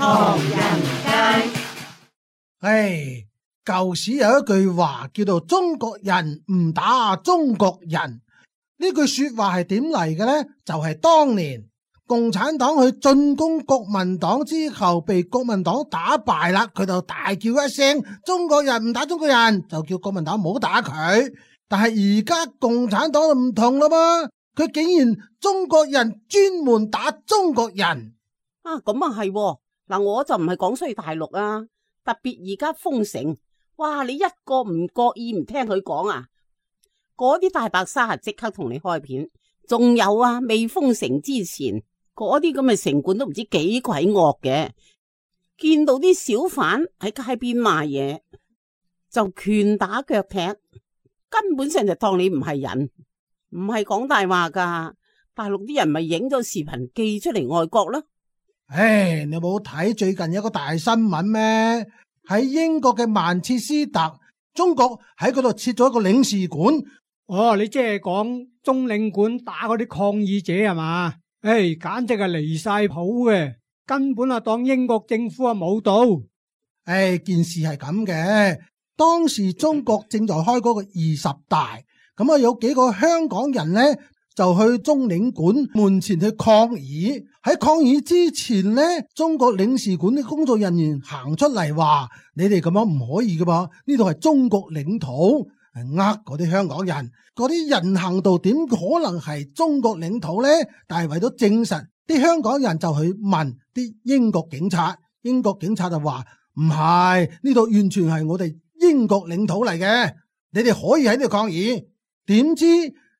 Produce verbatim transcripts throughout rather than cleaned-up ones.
唐人街。唉，舊時有一句話叫做中國人唔打中國人，呢句說話係點嚟嘅呢？就係、是、當年共產黨去進攻國民黨之後，被國民黨打敗啦，佢就大叫一聲中國人唔打中國人，就叫國民黨唔好打佢。但係而家共產黨就唔同啦嘛，佢竟然中國人專門打中國人啊！咁啊係嗱，我就唔係講衰大陸啊，特別而家封城，哇！你一個唔覺意唔聽佢講啊，嗰啲大白鯊啊即刻同你開片。仲有啊，未封城之前，嗰啲咁嘅城管都唔知幾鬼惡嘅，見到啲小販喺街邊賣嘢就拳打腳踢，根本上就當你唔係人，唔係講大話噶。大陸啲人咪影咗視頻寄出嚟外國咯。唉，你冇睇最近有個大新聞咩？喺英國嘅曼徹斯特，中國喺嗰度設咗一個領事館。哦，你即係講中領館打嗰啲抗議者係嘛？唉，簡直係離晒譜嘅，根本啊當英國政府啊冇到。唉，件事係咁嘅，當時中國正在開嗰個二十大，咁啊有幾個香港人呢，就去中領館門前去抗議。喺抗議之前呢，中國領事館啲工作人員行出嚟話：你哋咁樣唔可以噶噃，呢度係中國領土，係呃嗰啲香港人。嗰啲人行道點可能係中國領土呢？但係為咗證實，啲香港人就去問啲英國警察，英國警察就話唔係，呢度完全係我哋英國領土嚟嘅，你哋可以喺呢度抗議。點知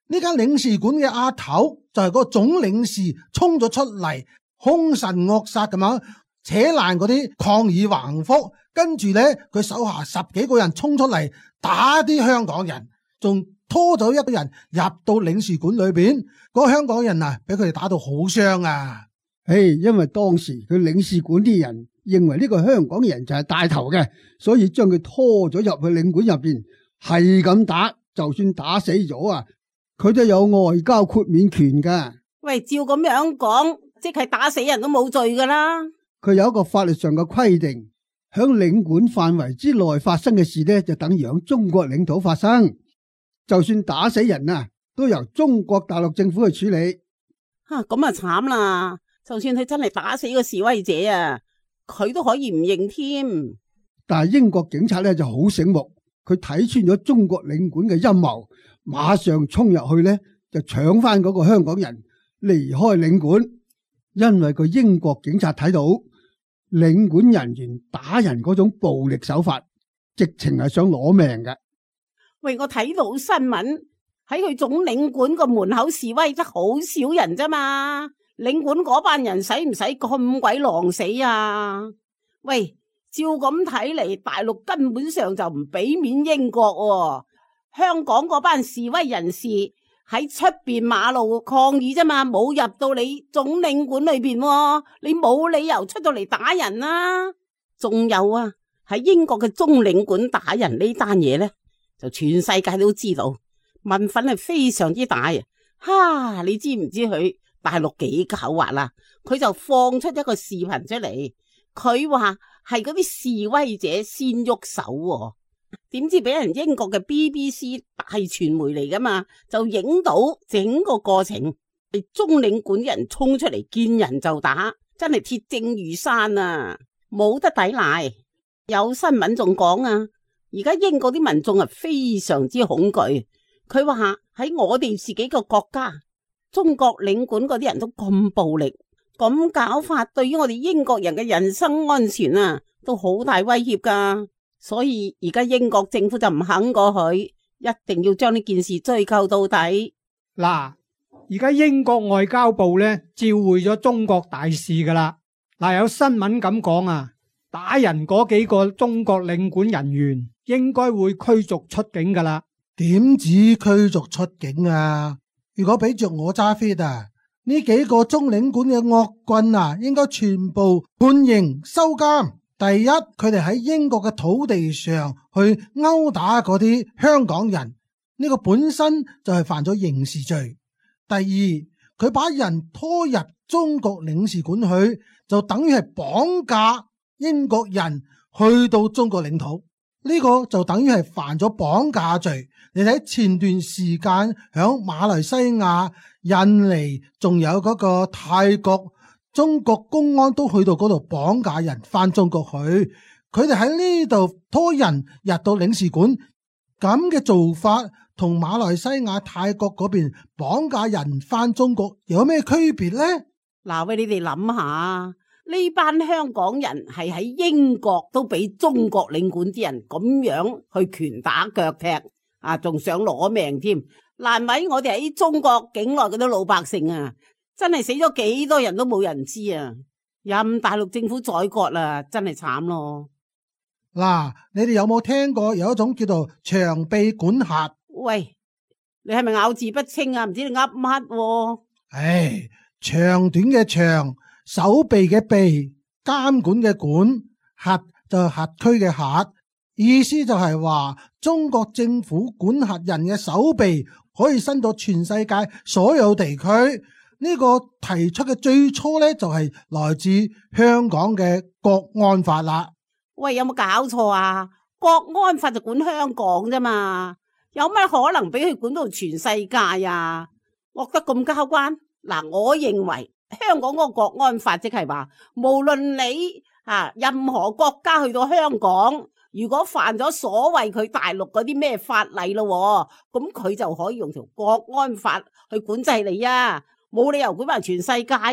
呢間領事館嘅阿頭就係嗰個總領事衝咗出嚟，兇神惡煞咁樣扯爛嗰啲抗議橫幅，跟住呢，佢手下十幾個人衝出嚟打啲香港人，仲拖走一個人入到領事館裏邊。嗰個香港人啊，俾佢哋打到好傷啊！唉，因為當時佢領事館啲人認為呢個香港人就係帶頭嘅，所以將佢拖咗入去領館入邊，係咁打，就算打死咗啊，佢都有外交豁免權噶。喂，照咁樣講，即係打死人都冇罪噶啦。佢有一個法律上嘅規定，響領館範圍之內發生嘅事呢，就等於響中國領土發生。就算打死人啊，都由中國大陸政府去處理。吓，咁啊慘啦！就算佢真係打死個示威者啊，佢都可以唔認添。但係英國警察咧就好醒目，佢睇穿咗中國領館嘅陰謀，馬上衝入去咧就搶翻嗰個香港人離開領館。因為個英國警察睇到領館人員打人嗰種暴力手法，直情係想攞命嘅。喂，我睇到新聞喺佢總領館個門口示威得好少人咋嘛？領館嗰班人使唔使咁鬼狼死啊？喂，照咁睇嚟，大陸根本上就唔俾面英國喎。香港嗰班示威人士喺出邊馬路抗議咋嘛，冇入到你總領館裏邊喎，你冇理由出到嚟打人啊。仲有啊，喺英國嘅中領館打人呢單嘢呢，就全世界都知道，民憤係非常之大啊！哈，你知唔知佢大陸幾狡猾啊？佢就放出一個視頻出嚟，佢話係嗰啲示威者先喐手喎，點知俾人英國嘅 B B C 大傳媒嚟噶嘛，就影到整個過程，係中領館人衝出嚟見人就打，真係鐵證如山啊，冇得抵賴。有新聞仲講啊，而家英國啲民眾係非常之恐懼，佢話喺我哋自己個國家，中國領館嗰啲人都咁暴力，咁搞法對於我哋英國人嘅人身安全啊，都好大威脅噶。所以而家英國政府就唔肯過去，一定要將呢件事追究到底。嗱，而家英國外交部咧召會咗中國大使噶啦。嗱，有新聞咁講啊，打人嗰幾個中國領館人員應該會驅逐出境噶啦。點止驅逐出境啊？如果俾着我揸 fit 啊，呢幾個中領館嘅惡棍啊，應該全部判刑收監。第一，佢哋喺英國嘅土地上去毆打嗰啲香港人，呢個本身就係犯咗刑事罪。第二，佢把人拖入中國領事館去，就等於係綁架英國人去到中國領土，呢個就等於係犯咗綁架罪。你睇前段時間響馬來西亞、印尼，仲有嗰個泰國，中國公安都去到嗰度綁架人翻中國去，佢哋喺呢度拖人入到領事館，咁嘅做法同馬來西亞、泰國嗰邊綁架人翻中國有咩區別呢？嗱，喂，你哋諗下，呢班香港人係喺英國都俾中國領館啲人咁樣去拳打腳踢啊，仲想攞命添。難為我哋喺中國境內嗰啲老百姓啊，真係死咗幾多人都冇人知啊！任大陸政府宰割啦，真係慘咯。嗱，你哋有冇聽過有一種叫做長臂管轄？喂，你係咪咬字不清啊？唔知你噏乜？唉，長短嘅長，手臂嘅臂，監管嘅管，轄就係轄區嘅轄，意思就係話中國政府管轄人嘅手臂可以伸到全世界所有地區。呢個提出嘅最初呢，就係來自香港嘅國安法啦。喂，有冇搞錯啊？國安法就管香港啫嘛，有乜可能俾佢管到全世界啊？惡得咁交關？嗱，我認為香港嗰個國安法即係話，無論你啊任何國家去到香港，如果犯咗所謂佢大陸嗰啲咩法例咯，咁佢就可以用條國安法去管制你啊，冇理由管埋全世界噶。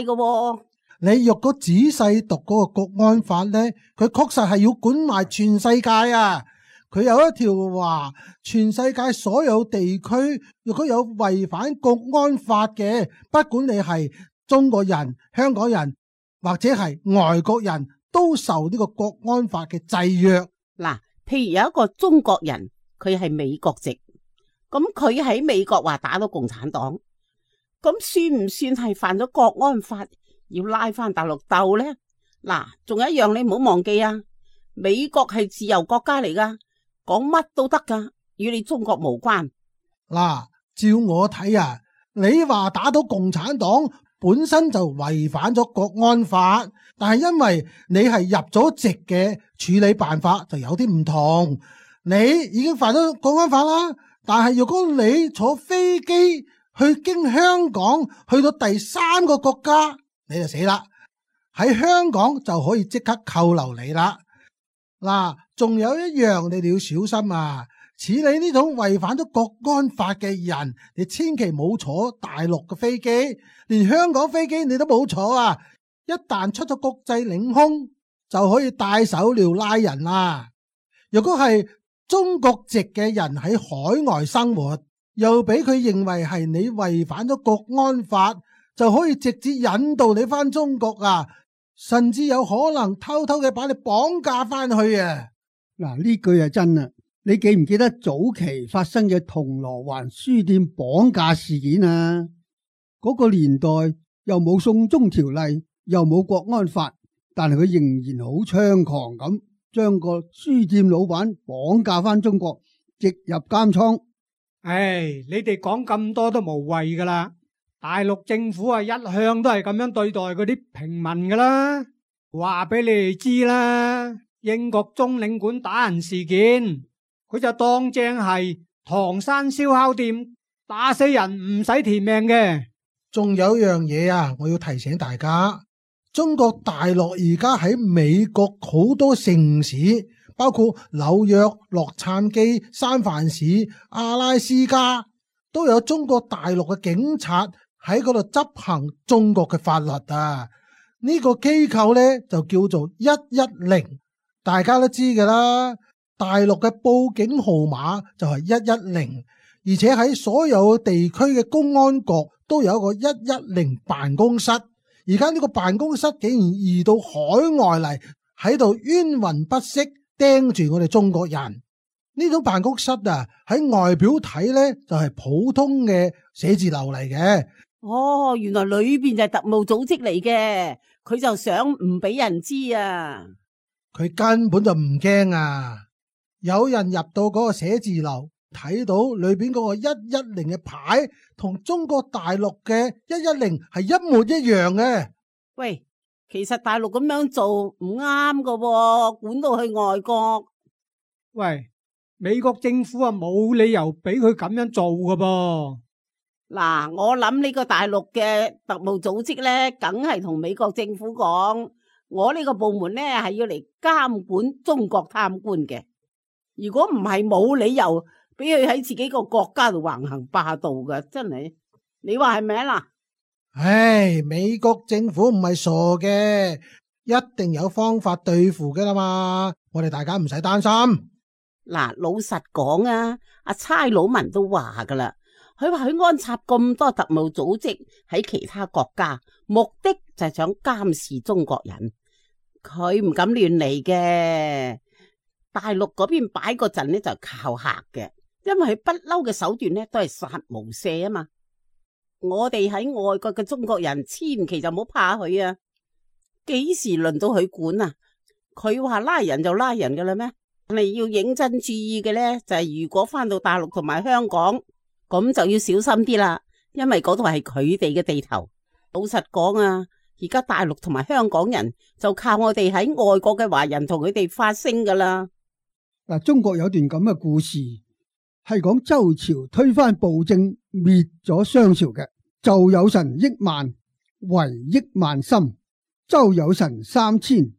你若果仔細讀嗰個國安法呢，佢確實係要管埋全世界啊！佢有一條話，全世界所有地區如果有違反國安法嘅，不管你係中國人、香港人或者係外國人，都受呢個國安法嘅制約。嗱，譬如有一個中國人，佢係美國籍，咁佢喺美國話打到共產黨，咁算唔算係犯咗國安法？要拉翻大陸鬥呢？嗱，仲有一樣你唔好忘記啊！美國係自由國家嚟噶，講乜都得噶，與你中國無關。嗱，照我睇啊，你話打到共產黨本身就違反咗國安法，但係因為你係入咗籍嘅處理辦法就有啲唔同。你已經犯咗國安法啦，但係如果你坐飛機去經香港去到第三個國家，你就死啦！喺香港就可以即刻扣留你啦。嗱，仲有一樣你哋要小心啊！似你呢種違反咗國安法嘅人，你千祈冇坐大陸嘅飛機，連香港飛機你都冇坐啊！一旦出咗國際領空，就可以帶手鐐拉人啦。如果係中國籍嘅人喺海外生活，又俾佢認為係你違反咗國安法，就可以直接引導你翻中國啊，甚至有可能偷偷嘅把你綁架翻去啊！嗱，呢句係真啊！你記唔記得早期發生嘅銅鑼灣書店綁架事件啊？嗰個年代又冇送中條例，又冇國安法，但係佢仍然好猖狂咁，將個書店老闆綁架翻中國，直入監倉。唉，你哋講咁多都無謂噶啦。大陸政府啊，一向都係咁樣對待嗰啲平民噶啦。話俾你哋知啦，英國中領館打人事件，佢就當正係唐山燒烤店打死人唔使填命嘅。仲有樣嘢啊，我要提醒大家，中國大陸而家喺美國好多城市，包括紐約、洛杉磯、三藩市、阿拉斯加，都有中國大陸嘅警察喺嗰度執行中國嘅法律啊！呢個機構呢，就叫做一一零，大家都知㗎啦。大陸嘅報警號碼就係一一零，而且喺所有地區嘅公安局都有一個一一零辦公室。而家呢個辦公室竟然移到海外嚟，喺度冤魂不息盯住我哋中國人。呢種辦公室啊，喺外表睇呢，就係普通嘅寫字樓嚟嘅。哦，原來裏邊就係特務組織嚟嘅，佢就想唔俾人知啊！佢根本就唔驚啊！有人入到嗰個寫字樓，睇到裏邊嗰個一一零嘅牌同中國大陸嘅一一零係一模一樣嘅。喂，其實大陸咁樣做唔啱噶喎，管到去外國。喂，美國政府啊冇理由俾佢咁樣做噶噃。嗱，我諗呢個大陸嘅特務組織咧，梗係同美國政府講，我呢個部門咧係要嚟監管中國貪官嘅。如果唔係，冇理由俾佢喺自己個國家度橫行霸道噶，真係。你話係咪啊？嗱，唉，美國政府唔係傻嘅，一定有方法對付噶啦嘛。我哋大家唔使擔心。嗱，老實講啊，阿差佬文都話噶啦。佢話佢安插咁多特務組織喺其他國家，目的就係想監視中國人。佢唔敢亂嚟嘅。大陸嗰邊擺嗰陣呢就靠嚇嘅，因為佢不嬲嘅手段呢都係殺無赦啊嘛。我哋喺外國嘅中國人千祈就唔好怕佢啊。幾時輪到佢管啊？佢話拉人就拉人噶啦咩？你要認真注意嘅呢，就係如果翻到大陸同埋香港，咁就要小心啲啦，因為嗰度係佢哋嘅地頭。老實講啊，而家大陸同埋香港人就靠我哋喺外國嘅華人同佢哋發聲噶啦。嗱，中國有段咁嘅故事，係講周朝推翻暴政，滅咗商朝嘅。紂有臣億萬，為億萬心；周有臣三千，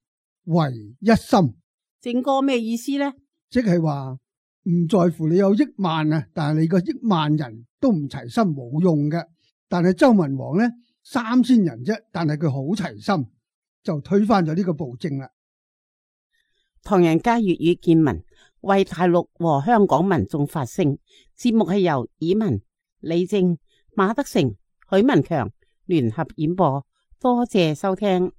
為一心。正哥咩意思呢？即係話唔在乎你有億萬啊，但係你個億萬人都唔齊心冇用嘅。但係周文王呢，三千人啫，但係佢好齊心，就推翻咗呢個暴政啦。唐人街粵語見聞為大陸和香港民眾發聲，節目係由以文、李正、馬德成、許文強聯合演播，多謝收聽。